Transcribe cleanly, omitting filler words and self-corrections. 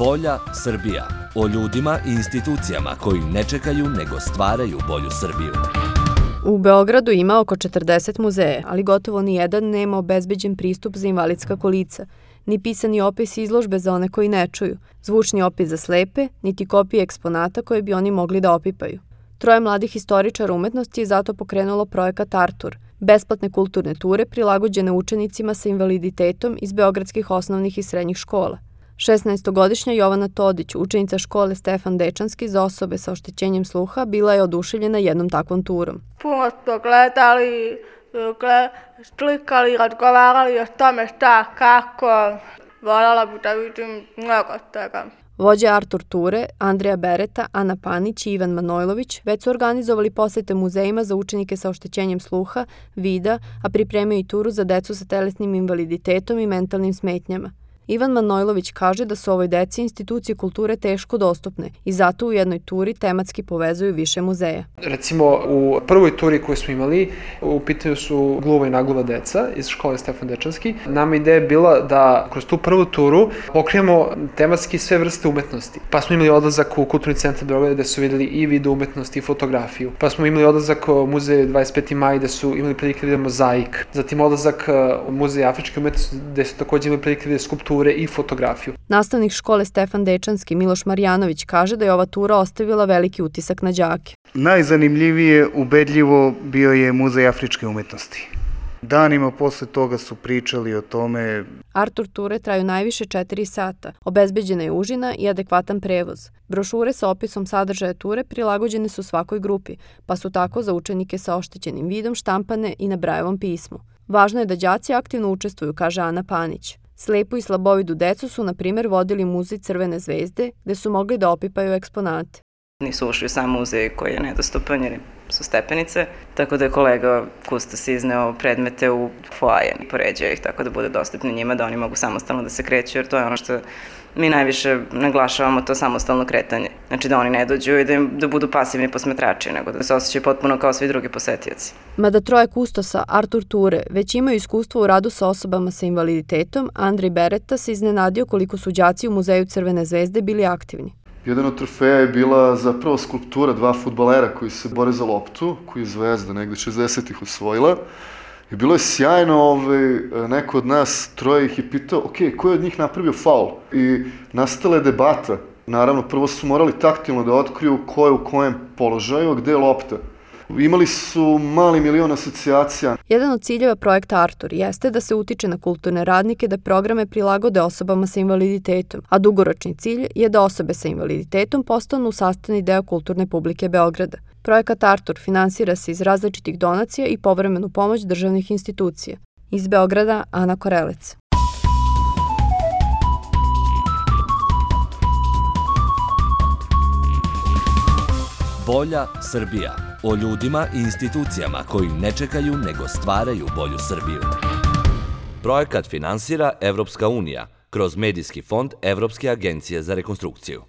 Bolja Srbija. O ljudima i institucijama koji ne čekaju nego stvaraju bolju Srbiju. U Beogradu ima oko 40 muzeja, ali gotovo ni jedan nema obezbeđen pristup za invalidska kolica, ni pisani opis izložbe za one koji ne čuju, zvučni opis za slepe, niti kopije eksponata koje bi oni mogli da opipaju. Troje mladih historičara umetnosti je zato pokrenulo projekat Artur, besplatne kulturne ture prilagođene učenicima sa invaliditetom iz beogradskih osnovnih i srednjih škola. 16-godišnja Jovana Todić, učenica škole Stefan Dečanski za osobe sa oštećenjem sluha, bila je oduševljena jednom takvom turom. Puno smo gledali, slikali, razgovarali o tome šta, kako. Voljela bih da vidim mnogo toga. Vođe Artur ture, Andreja Bereta, Ana Panić i Ivan Manojlović već su organizovali posete muzejima za učenike sa oštećenjem sluha, vida, a pripremaju i turu za decu sa telesnim invaliditetom i mentalnim smetnjama. Ivan Manojlović kaže da su ovoj deci institucije kulture teško dostupne i zato u jednoj turi tematski povezuju više muzeja. Recimo u prvoj turi koju smo imali, u pitanju su gluva i nagluva deca iz škole Stefan Dečanski. Nama ideja je bila da kroz tu prvu turu pokrijemo tematski sve vrste umetnosti. Pa smo imali odlazak u Kulturni centar Beograda gde su videli i video umetnosti i fotografiju. Pa smo imali odlazak u muzej 25. maj gde su imali prilike da vide mozaik. Zatim odlazak u muzej afričke umetnosti gde su takođe imali prilike da vide skulpture i fotografiju. Nastavnik škole Stefan Dečanski Miloš Marjanović kaže da je ova tura ostavila veliki utisak na đake. Najzanimljivije, ubedljivo, bio je Muzej afričke umetnosti. Danima posle toga su pričali o tome. Artur ture traju najviše 4 sata. Obezbeđena je užina i adekvatan prevoz. Brošure sa opisom sadržaja ture prilagođene su svakoj grupi, pa su tako za učenike sa oštećenim vidom štampane i na Brajevom pismu. Važno je da đaci aktivno učestvuju, kaže Ana Panić. Slepu i slabovidu decu su, na primjer, vodili muzej Crvene zvezde, gde su mogli da opipaju eksponate. Nisu ušli u sam muzej koji je nedostupan jer su stepenice, tako da je kolega kustos izneo predmete u foaje, poređao ih tako da bude dostupni njima, da oni mogu samostalno da se kreću, jer to je ono što mi najviše naglašavamo, to samostalno kretanje. Znači da oni ne dođu i da budu pasivni posmetrači, nego da se osjećaju potpuno kao svi drugi posetioci. Mada troje kustosa Artur ture već imaju iskustvo u radu sa osobama sa invaliditetom, Andrej Bereta se iznenadio koliko su đaci u Muzeju Crvene zvezde bili aktivni. Jedan od trofeja je bila zapravo skulptura 2 fudbalera koji se bore za loptu, koju je Zvezda negde 60-ih osvojila. I bilo je sjajno, neko od nas troje ih je pitao, ok, ko je od njih napravio faul? I nastala je debata. Naravno, prvo su morali taktilno da otkriju ko je u kojem položaju, a gde je lopta. Imali su mali milion asocijacija. Jedan od ciljeva projekta Artur jeste da se utiče na kulturne radnike da programe prilagode osobama sa invaliditetom, a dugoročni cilj je da osobe sa invaliditetom postanu sastavni deo kulturne publike Beograda. Projekat Artur finansira se iz različitih donacija i povremenu pomoć državnih institucija. Iz Beograda, Ana Korelec. Bolja Srbija. O ljudima i institucijama koji ne čekaju nego stvaraju bolju Srbiju. Projekat finansira Evropska unija kroz Medijski fond Evropske agencije za rekonstrukciju.